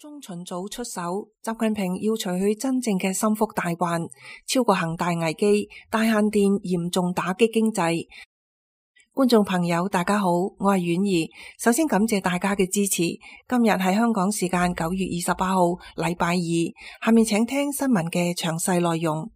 中旬早出手，習近平要除去真正嘅心腹大患，超過恒大危機，大限電嚴重打擊經濟。觀眾朋友大家好，我係婉兒，首先感謝大家嘅支持。今日係香港時間9月28號禮拜二，下面請聽新聞嘅詳細內容。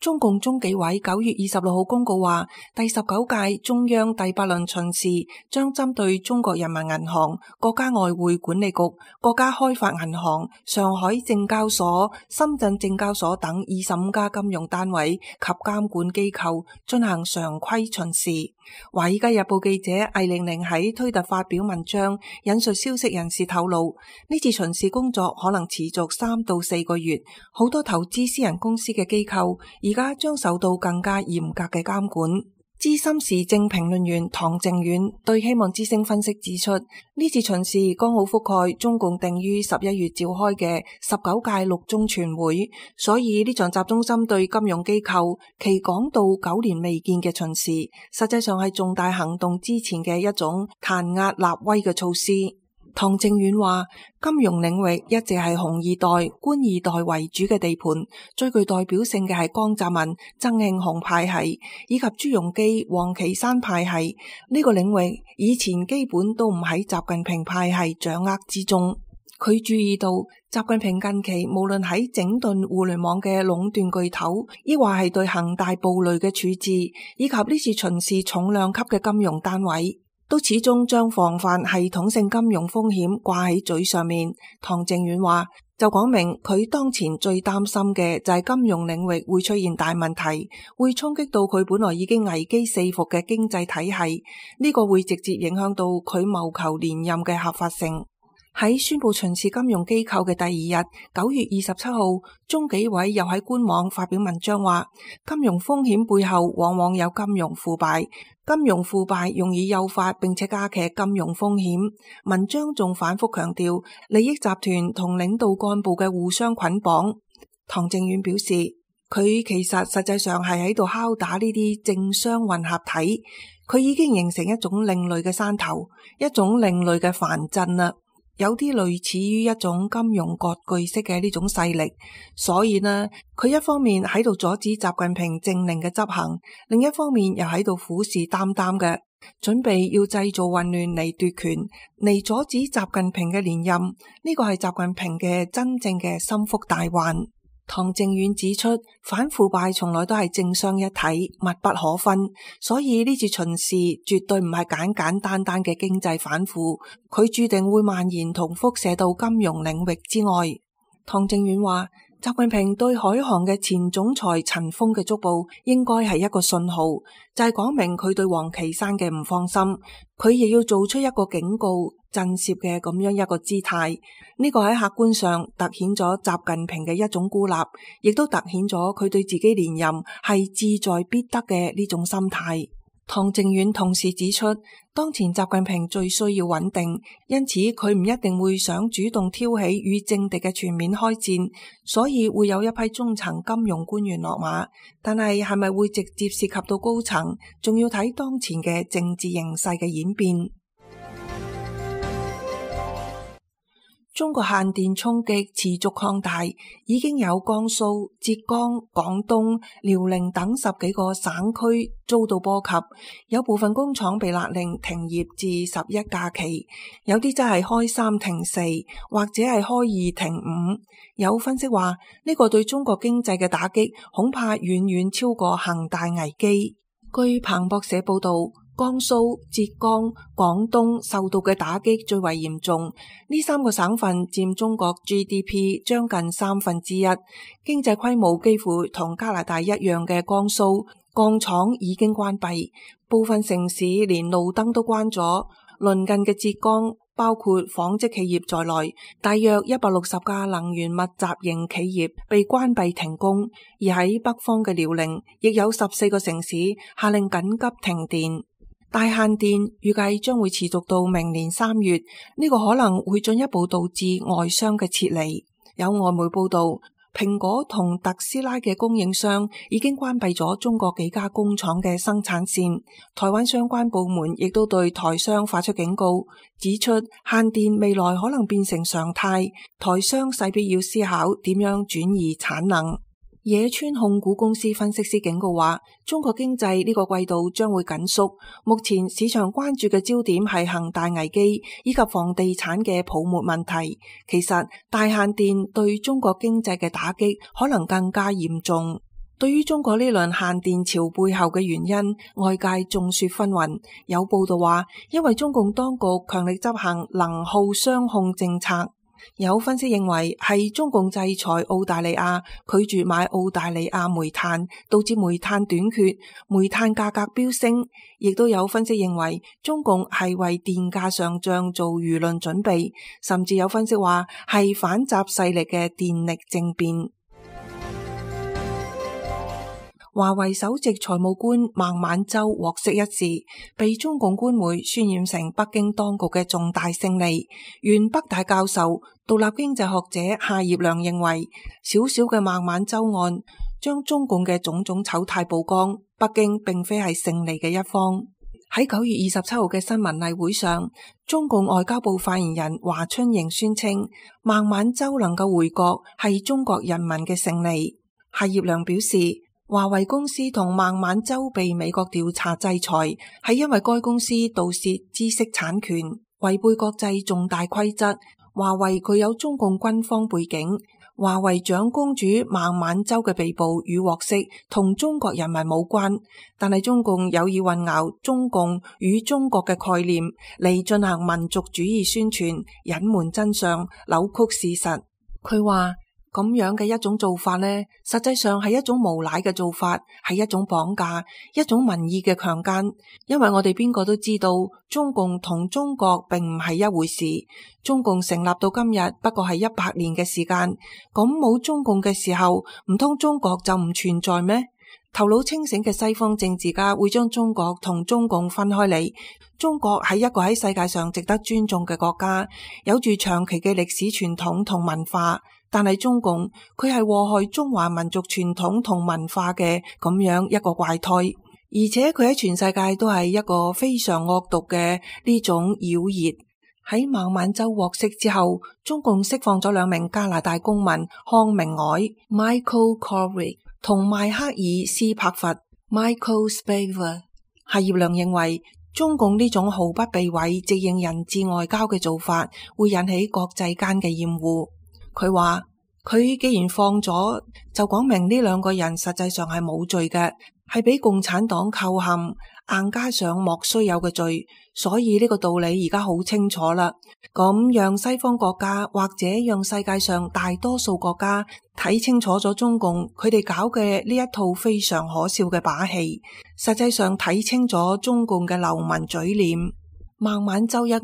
中共中紀委9月26號公告話，第19屆中央第8輪巡視將針對中國人民銀行、國家外匯管理局、國家開發銀行、上海證交所、深圳證交所等25家金融單位及監管機構進行常規巡視。華爾街日報記者魏玲玲喺推特發表文章，引述消息人士透露，呢次巡視工作可能持續3到4個月，好多投資私人公司嘅機構而家將受到更加嚴格嘅監管。資深時政評論員唐靖遠對希望之聲分析指出，呢次巡視剛好覆蓋中共定於11月召開嘅19屆六中全會，所以呢場集中針對金融機構期廣到9年未見嘅巡視，實際上係重大行動之前嘅一種彈壓立威嘅措施。唐靖遠話，金融領域一直係紅二代、官二代為主嘅地盤，最具代表性嘅係江澤民、曾慶紅派系以及朱鎔基、王岐山派系。呢個領域以前基本都唔喺習近平派系掌握之中。佢注意到習近平近期無論喺整頓互聯網嘅壟斷巨頭，抑或係對恒大暴雷嘅處置，以及呢次巡視重量級嘅金融單位，都始終將防範系統性金融風險掛喺嘴上面。唐靖遠話，就講明佢當前最擔心嘅就係金融領域會出現大問題，會衝擊到佢本來已經危機四伏嘅經濟體系，呢個會直接影響到佢謀求連任嘅合法性。喺宣布巡視金融機構嘅第二日，9月27號，中紀委又喺官網發表文章話，金融風險背後往往有金融腐敗，金融腐敗容易誘發並且加劇金融風險。文章仲反覆強調利益集團同領導幹部嘅互相捆綁。唐靖遠表示，佢其實際上係喺度敲打呢啲政商混合體，佢已經形成一種另類嘅山頭，一種另類嘅藩鎮啦。有啲類似於一種金融割據式嘅呢種勢力，所以呢，佢一方面喺度阻止習近平政令嘅執行，另一方面又喺度虎視眈眈嘅，準備要製造混亂嚟奪權，嚟阻止習近平嘅連任。呢個係習近平嘅真正嘅心腹大患。唐靖遠指出，反腐敗從來都係政商一體，密不可分，所以呢次巡視絕對唔係簡簡單單嘅經濟反腐，佢注定會蔓延同輻射到金融領域之外。唐靖遠話，習近平對海航嘅前總裁陳鋒嘅捉捕應該係一個信號，就係講明佢對王岐山嘅唔放心，佢亦要做出一個警告震懾嘅咁樣一個姿態。呢個喺客觀上凸顯咗習近平嘅一種孤立，亦都凸顯咗佢對自己連任係志在必得嘅呢種心態。唐靖遠同時指出，當前習近平最需要穩定，因此佢唔一定會想主動挑起與政敵嘅全面開戰，所以會有一批中層金融官員落馬，但係咪會直接涉及到高層，仲要睇當前嘅政治形勢嘅演變。中國限電衝擊持續擴大，已經有江蘇、浙江、廣東、遼寧等10幾個省區遭到波及，有部分工廠被勒令停業至11假期，有啲真係開3停4，或者係開2停5。有分析話，呢個對中國經濟嘅打擊恐怕遠遠超過恒大危機。據彭博社報道，江蘇、浙江、廣東受到嘅打擊最為嚴重，呢3個省份佔中國 GDP 將近1/3，經濟規模幾乎同加拿大一樣嘅江蘇，鋼廠已經關閉，部分城市連路燈都關咗。鄰近嘅浙江，包括紡織企業在內，大約160家能源密集型企業被關閉停工，而喺北方嘅遼寧，亦有14個城市下令緊急停電。大限電預計將會持續到明年3月，呢個可能會進一步導致外商嘅撤離。有外媒報道，蘋果同特斯拉嘅供應商已經關閉咗中國幾家工廠嘅生產線。台灣相關部門亦都對台商發出警告，指出限電未來可能變成常態，台商勢必要思考點樣轉移產能。野村控股公司分析師警告話，中國經濟呢個季度將會緊縮，目前市場關注嘅焦點係恒大危機以及房地產嘅泡沫問題。其實大限電對中國經濟嘅打擊可能更加嚴重。對於中國呢輪限電潮背後嘅原因，外界眾說紛紜。有報道話，因為中共當局強力執行能耗雙控政策。有分析認為係中共制裁澳大利亞，拒絕買澳大利亞煤炭，導致煤炭短缺，煤炭價格飆升。亦都有分析認為中共係為電價上漲做輿論準備，甚至有分析話係反習勢力嘅電力政變。華為首席財務官孟晚舟獲釋一事，被中共官媒渲染成北京當局嘅重大勝利。原北大教授、獨立經濟學者夏業良認為，小小嘅孟晚舟案將中共嘅種種醜態曝光，北京並非係勝利嘅一方。喺9月27號嘅新聞例會上，中共外交部發言人華春瑩宣稱，孟晚舟能夠回國係中國人民嘅勝利。夏業良表示，華為公司同孟晚舟被美國調查制裁，係因為該公司盜竊知識產權，違背國際重大規則。華為具有中共軍方背景，華為長公主孟晚舟嘅被捕與獲釋同中國人民無關，但係中共有意混淆中共與中國嘅概念嚟進行民族主義宣傳，隱瞞真相，扭曲事實。佢話，咁樣嘅一種做法呢，實際上係一種無賴嘅做法，係一種綁架，一種民意嘅強姦。因為我哋邊個都知道，中共同中國並唔係一回事。中共成立到今日不過係100年嘅時間，咁冇中共嘅時候，唔通中國就唔存在咩？頭腦清醒嘅西方政治家會將中國同中共分開嚟。中國係一個喺世界上值得尊重嘅國家，有住長期嘅歷史傳統同文化。但係中共佢係禍害中華民族傳統同文化嘅咁樣一個怪胎，而且佢喺全世界都係一個非常惡毒嘅呢種妖孽。喺孟晚舟獲釋之後，中共釋放咗2名加拿大公民康明凱 Michael Kovrig 同邁克爾斯柏佛 Michael Spavor。夏業良認為，中共呢種毫不避諱直認人質外交嘅做法，會引起國際間嘅厭惡。佢話，佢既然放咗，就講明呢2個人實際上係冇罪嘅，係俾共產黨構陷，硬加上莫須有嘅罪，所以呢個道理而家好清楚啦。咁讓西方國家或者讓世界上大多數國家睇清楚咗中共佢哋搞嘅呢一套非常可笑嘅把戲，實際上睇清咗中共嘅流氓嘴臉。孟晚舟一案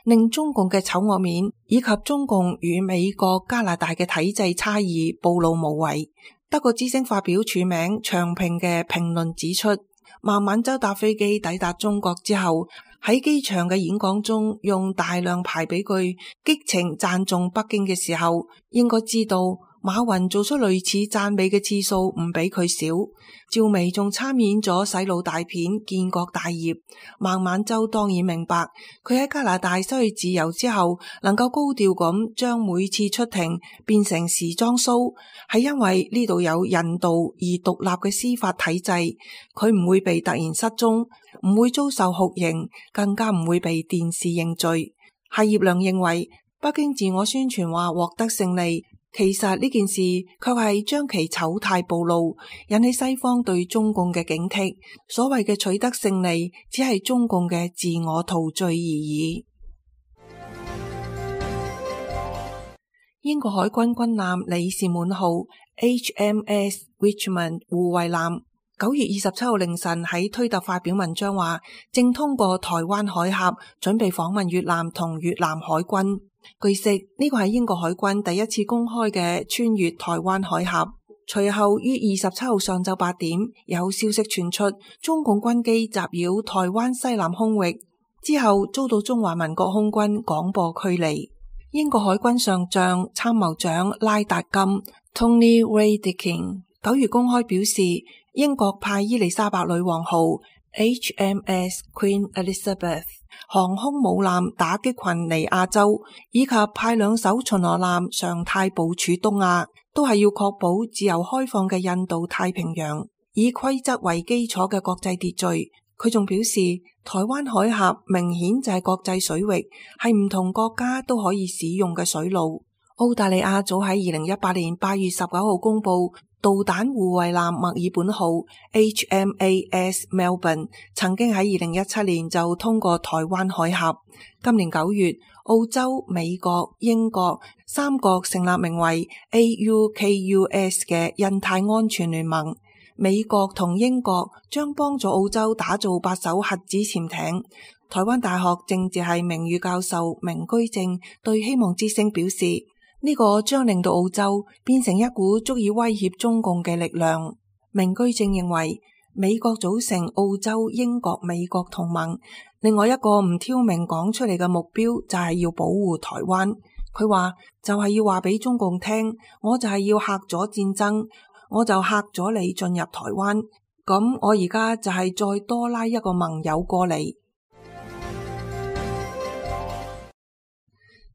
令中共嘅醜惡面以及中共與美國、加拿大嘅體制差異暴露無遺。德國之聲發表署名長評嘅評論指出，孟晚舟搭飛機抵達中國之後，喺機場嘅演講中用大量排比句激情讚頌北京嘅時候，應該知道馬雲做出類似讚美嘅次數唔比佢少。趙薇仲參演咗洗腦大片《建國大業》。孟晚舟當然明白，佢喺加拿大失去自由之後，能夠高調咁將每次出庭變成時裝 show， 係因為呢度有人道而獨立嘅司法體制，佢唔會被突然失蹤，唔會遭受酷刑，更加唔會被電視認罪。夏業良認為，北京自我宣傳話獲得勝利，其實呢件事卻係將其醜態暴露，引起西方對中共嘅警惕。所謂嘅取得勝利，只係中共嘅自我陶醉而已。英國海軍軍艦李士滿號 HMS Richmond 護衛艦9月27號凌晨喺推特發表文章話，正通過台灣海峽，準備訪問越南同越南海軍。據悉，呢個係英國海軍第一次公開嘅穿越台灣海峽。隨後於27號上晝8點，有消息傳出中共軍機襲擾台灣西南空域，之後遭到中華民國空軍廣播驅離。英國海軍上將參謀長拉達金 Tony Radakin 9月公開表示，英國派伊麗莎白女王號 HMS Queen Elizabeth 航空母艦打擊群尼亞州，以及派2艘巡邏艦常態部署東亞，都係要確保自由開放嘅印度太平洋，以規則為基礎嘅國際秩序。佢仲表示，台灣海峽明顯就係國際水域，係唔同國家都可以使用嘅水路。澳大利亞早喺2018年8月19號公布，導彈護衛艦墨爾本號 HMAS Melbourne 曾經喺2017年就通過台灣海峽。今年9月，澳洲、美國、英國3國成立名為 AUKUS 嘅印太安全聯盟。美國同英國將幫助澳洲打造8艘核子潛艇。台灣大學政治系名譽教授明居正對希望之聲表示，呢個將令到澳洲變成一股足以威脅中共嘅力量。明居正認為，美國組成澳洲、英國、美國同盟，另外一個唔挑明講出嚟嘅目標就係要保護台灣。佢話就係要話俾中共聽，我就係要嚇咗戰爭，我就嚇咗你進入台灣，咁我而家就係再多拉一個盟友過嚟。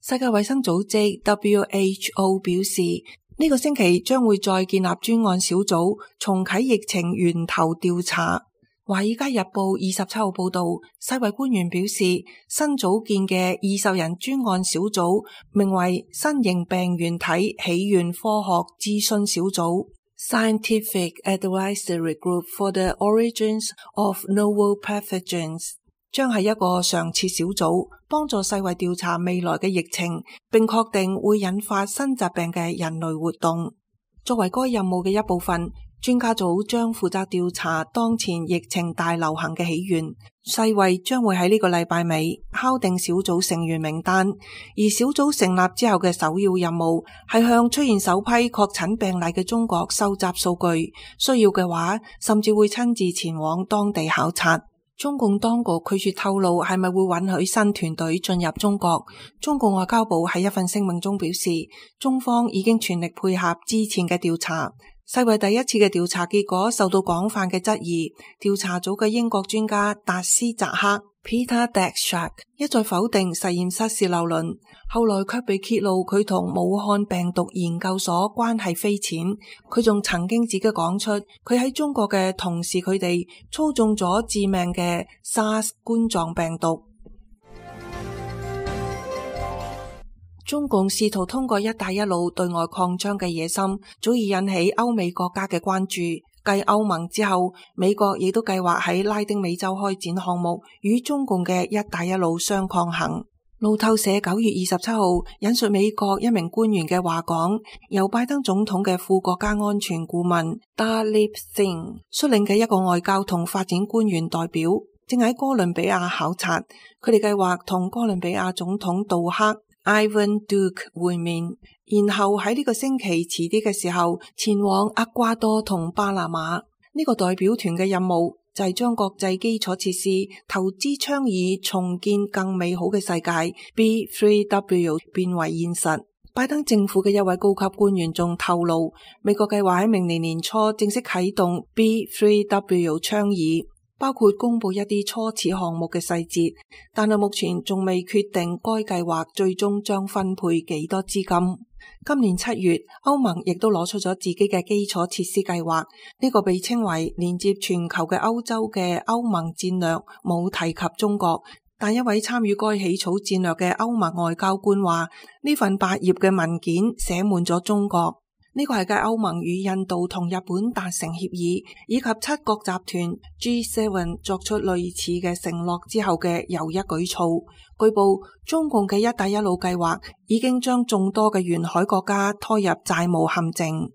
世界衛生組織 WHO 表示，呢個星期將會再建立專案小組，重啟疫情源頭調查。華爾街日報27號報道，世衛官員表示，新組建嘅20人專案小組名為新型病原體起源科學諮詢小組 Scientific Advisory Group for the Origins of Novel Pathogens， 將係一個常設小組，幫助世衛調查未來嘅疫情，並確定會引發新疾病嘅人類活動。作為該任務嘅一部分，專家組將負責調查當前疫情大流行嘅起源。世衛將會喺呢個禮拜尾敲定小組成員名單，而小組成立之後嘅首要任務係向出現首批確診病例嘅中國收集數據，需要嘅話甚至會親自前往當地考察。中共當局拒絕透露係咪會允許新團隊進入中國。中共外交部喺一份聲明中表示，中方已經全力配合之前嘅調查。世衛第一次嘅調查結果受到廣泛嘅質疑，調查組嘅英國專家達斯扎克 Peter Daszak 一再否定實驗室洩漏論，後來卻被揭露佢同武漢病毒研究所關係匪淺。佢仲曾經自己講出佢喺中國嘅同事佢哋操縱咗致命嘅 SARS 冠狀病毒。中共試圖通過一帶一路對外擴張嘅野心，早已引起歐美國家嘅關注。繼歐盟之後，美國亦都計劃喺拉丁美洲開展項目，與中共嘅一帶一路相抗衡。路透社9月27號引述美國一名官員嘅話講，由拜登總統嘅副國家安全顧問 Darlip Singh 率領嘅一個外交同發展官員代表，正喺哥倫比亞考察。佢哋計劃同哥倫比亞總統杜克Ivan Duque 會面，然後喺呢個星期遲啲嘅時候前往厄瓜多同巴拿馬。呢個代表團嘅任務就係將國際基礎設施投資倡議重建更美好嘅世界 B3W 變為現實。拜登政府嘅一位高級官員仲透露，美國計劃喺明年年初正式啟動 B3W 倡議，包括公布一啲初始項目嘅細節，但係目前仲未決定該計劃最終將分配幾多資金。今年7月，歐盟亦都攞出咗自己嘅基礎設施計劃，呢個被稱為連接全球嘅歐洲嘅歐盟戰略，冇提及中國。但一位參與該起草戰略嘅歐盟外交官話，呢份8頁嘅文件寫滿咗中國。呢個係繼歐盟與印度同日本達成協議，以及7國集團 G7 作出類似嘅承諾之後嘅又一舉措。據報，中共嘅一帶一路計劃已經將眾多嘅沿海國家拖入債務陷阱。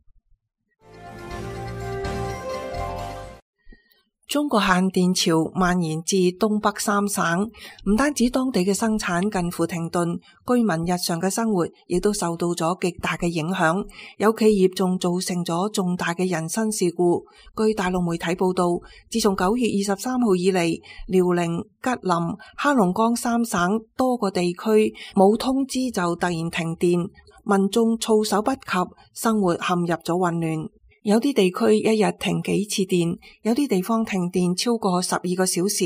中國限電潮蔓延至東北三省，唔單止當地嘅生產近乎停頓，居民日常嘅生活亦都受到咗極大嘅影響。有企業仲造成咗重大嘅人身事故。據大陸媒體報道，自從9月23號以嚟，遼寧、吉林、黑龍江三省多個地區冇通知就突然停電，民眾措手不及，生活陷入咗混亂。有啲地區一日停幾次電，有啲地方停電超過12個小時。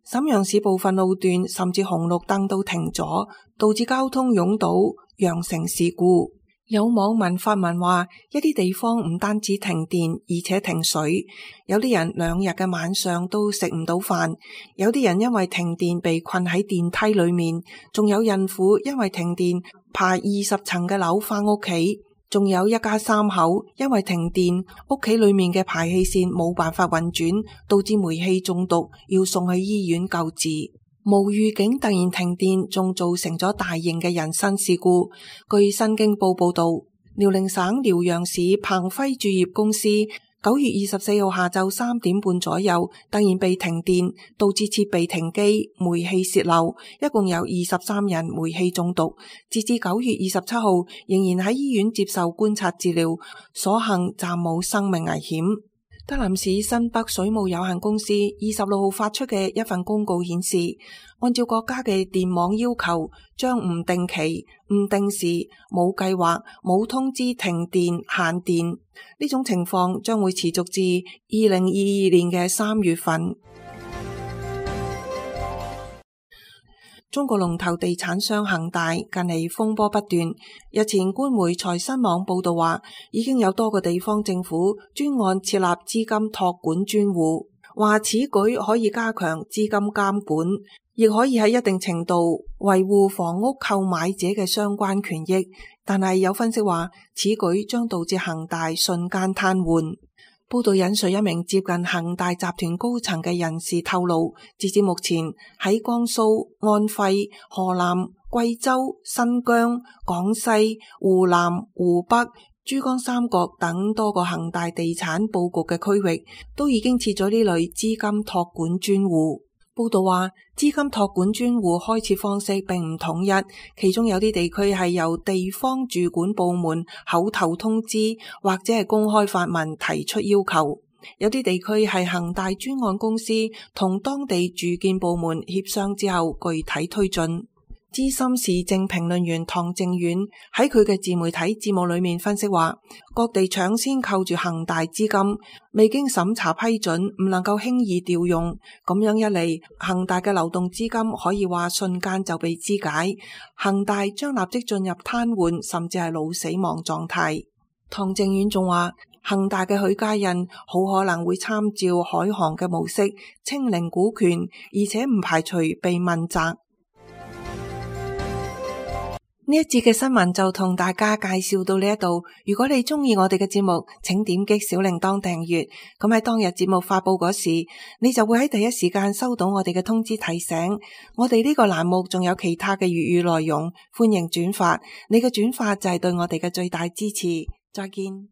瀋陽市部分路段甚至紅綠燈都停咗，導致交通擁堵，釀成事故。有網民發文話，一啲地方唔單止停電，而且停水，有啲人2日嘅晚上都食唔到飯，有啲人因為停電被困喺電梯裏面，仲有孕婦因為停電爬20層嘅樓返屋企。仲有一家3口因為停電，屋企裏面嘅排氣扇冇辦法運轉，導致煤氣中毒，要送去醫院救治。無預警突然停電，仲造成咗大型嘅人身事故。據新京報報道，遼寧省遼陽市鵬輝鑄業公司9月24號下晝3點半左右突然被停電，導致設備停機、煤氣洩漏，一共有23人煤氣中毒。截至9月27號，仍然喺醫院接受觀察治療，所幸暫冇生命危險。德林市新北水務有限公司26號發出嘅一份公告顯示，按照國家嘅電網要求，將唔定期、唔定時、冇計劃、冇通知停電限電，呢種情況將會持續至2022年嘅3月份。中國龍頭地產商恒大近嚟風波不斷，日前官媒財新網報道話，已經有多個地方政府專案設立資金託管專戶，話此舉可以加強資金監管，亦可以喺一定程度維護房屋購買者嘅相關權益。但係有分析話，此舉將導致恒大瞬間癱瘓。報道引述一名接近恒大集團高層嘅人士透露，截至目前喺江蘇、安徽、河南、貴州、新疆、廣西、湖南、湖北、珠江三角等多個恒大地產佈局嘅區域，都已經設咗呢類資金託管專戶。報道話，資金託管專戶開設方式並唔統一，其中有啲地區係由地方住管部門口頭通知或者係公開發文提出要求，有啲地區係恒大專案公司同當地住建部門協商之後具體推進。資深時政評論員唐正遠喺佢嘅自媒體節目裏面分析話，各地搶先扣住恒大資金，未經審查批准，唔能夠輕易調用，咁樣一嚟，恒大嘅流動資金可以話瞬間就被肢解，恒大將立即進入癱瘓甚至係腦死亡狀態。唐正遠仲話，恒大嘅許家印好可能會參照海航嘅模式清零股權，而且唔排除被問責。呢一節嘅新聞就同大家介紹到呢一度。如果你中意我哋嘅節目，請點擊小鈴鐺訂閱。咁喺當日節目發佈嗰時，你就會喺第一時間收到我哋嘅通知提醒。我哋呢個欄目仲有其他嘅粵語內容，歡迎轉發。你嘅轉發就係對我哋嘅最大支持。再見。